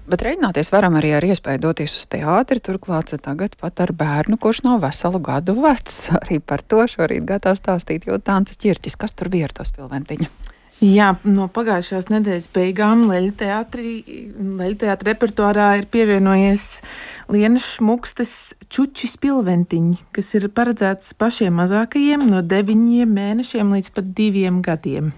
Bet rēķināties varam arī ar iespēju doties uz teātri, turklāt tagad pat ar bērnu, kurš nav veselu gadu vecs. Arī par to šorīt gatavs stāstīt Jūtāns Ķirķis. Kas tur bija ar to Spilventiņu? Jā, no pagājušās nedēļas beigām Leļu teātra repertuārā ir pievienojies Lienas Šmukstes Čuči Spilventiņi, kas ir paredzēts pašiem mazākajiem no 9 mēnešiem līdz pat 2 gadiem.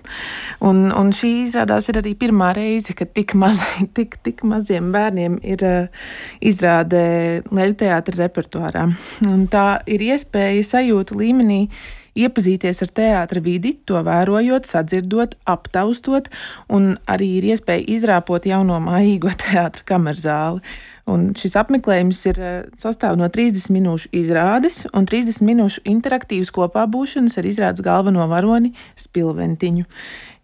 Un šī izrādās ir arī pirmā reize, kad tik maziem bērniem ir izrāde Leļu teātra repertuārā. Un tā ir iespēja sajūta līmenī iepazīties ar teātra vidi, to vērojot, sadzirdot, aptaustot, un arī ir iespēja izrāpot jauno mājīgo teātra kamerzāli. Un šis apmeklējums sastāv no 30 minūšu izrādes un 30 minūšu interaktīvas kopā būšanas ar izrādes galveno varoni Spilventiņu.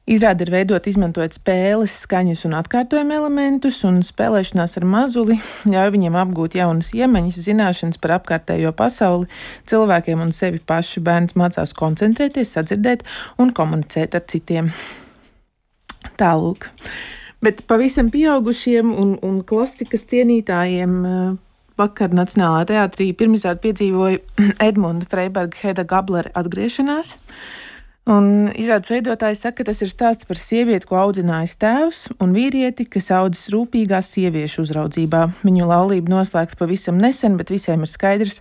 Izrāde ir veidota izmantojot spēles, skaņas un atkārtojuma elementus, un spēlēšanās ar mazuli ļauj viņiem apgūt jaunas iemaņas, zināšanas par apkārtējo pasauli, cilvēkiem un sevi pašu. Bērns mācās koncentrēties, sadzirdēt un komunicēt ar citiem. Tālūk. Bet pavisam pieaugušiem un klasikas cienītājiem vakar Nacionālajā teātrī pirmizrādi piedzīvoja Edmunda Freiberga Heda Gablera atgriešanās. Un izrādes veidotājs saka, ka tas ir stāsts par sievieti, ko audzinājis tēvs, un vīrieti, kas audzis rūpīgā sieviešu uzraudzībā. Viņu laulība noslēgta pavisam nesen, bet visiem ir skaidrs,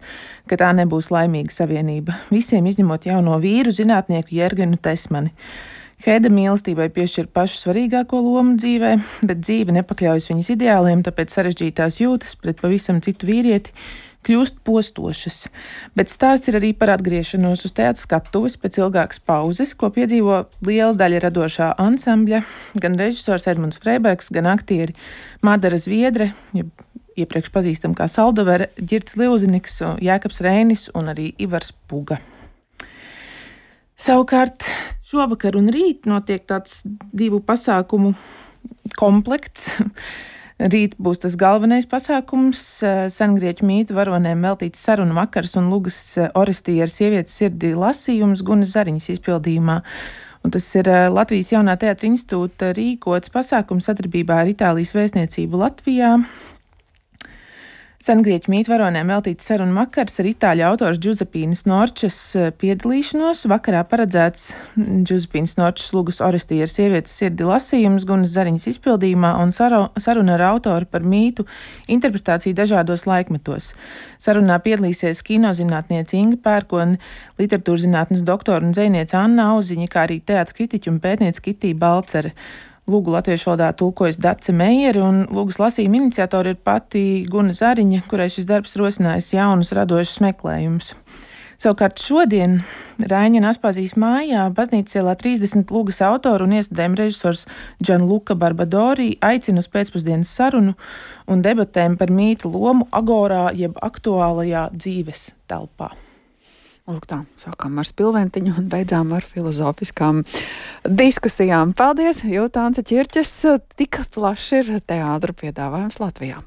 ka tā nebūs laimīga savienība. Visiem izņemot jauno vīru, zinātnieku Jergenu Tesmani. Heda mīlestībai piešķir pašu svarīgāko lomu dzīvē, bet dzīve nepakļaujas viņas ideāliem, tāpēc sarežģītās jūtas pret pavisam citu vīrieti kļūst postošas. Bet stāsts ir arī par atgriešanos uz teātra skatuves pēc ilgākas pauzes, ko piedzīvo liela daļa radošā ansambļa, gan režisors Edmunds Freibergs, gan aktieri Madara Zviedre, iepriekš pazīstam kā Saldovere, Ģirds Liuziniks, Jēkabs Reinis un arī Ivars Puga. Savukārt šovakar un rīt notiek tāds 2 pasākumu komplekts. Rīt būs tas galvenais pasākums, sengrieķu mītu varonēm veltīts sarunu vakars un Lugas Orestija ar sievietes sirdi lasījums Gunas Zariņas izpildījumā. Un tas ir Latvijas Jaunā teātra institūta rīkots pasākums sadarbībā ar Itālijas vēstniecību Latvijā. Sengrieķu mītu varonēm veltīts sarunu vakars ar itāļu autors Džuzepīnas Norčes piedalīšanos. Vakarā paredzēts Džuzepīnas Norčes Lugas Orestija ar sievietes sirdi lasījums Gunas Zariņas izpildījumā un saruna ar autoru par mītu interpretāciju dažādos laikmetos. Sarunā piedalīsies kinozinātniece Inga Pērkone, literatūrzinātnes doktora un dzejniece Anna Auziņa, kā arī teātra kritiķa un pētniece Kitija Balcere. Lūgu latviešu valodā tulkojas Dace Meijere, un lūgas lasījuma iniciatori ir pati Guna Zariņa, kurai šis darbs rosinājis jaunus radošus meklējumus. Savukārt šodien Raiņina Aspazijas mājā baznīcas ielā 30 lūgas autoru un iestudējuma režisors Gianluca Barbadori aicina uz pēcpusdienas sarunu un debatēm par mītu lomu agorā jeb aktuālajā dzīves telpā. Lūk tā, sākām ar Spilventiņu un beidzām ar filozofiskām diskusijām. Paldies, Jūtāns Ķirķis, tik plašs ir teātra piedāvājums Latvijā.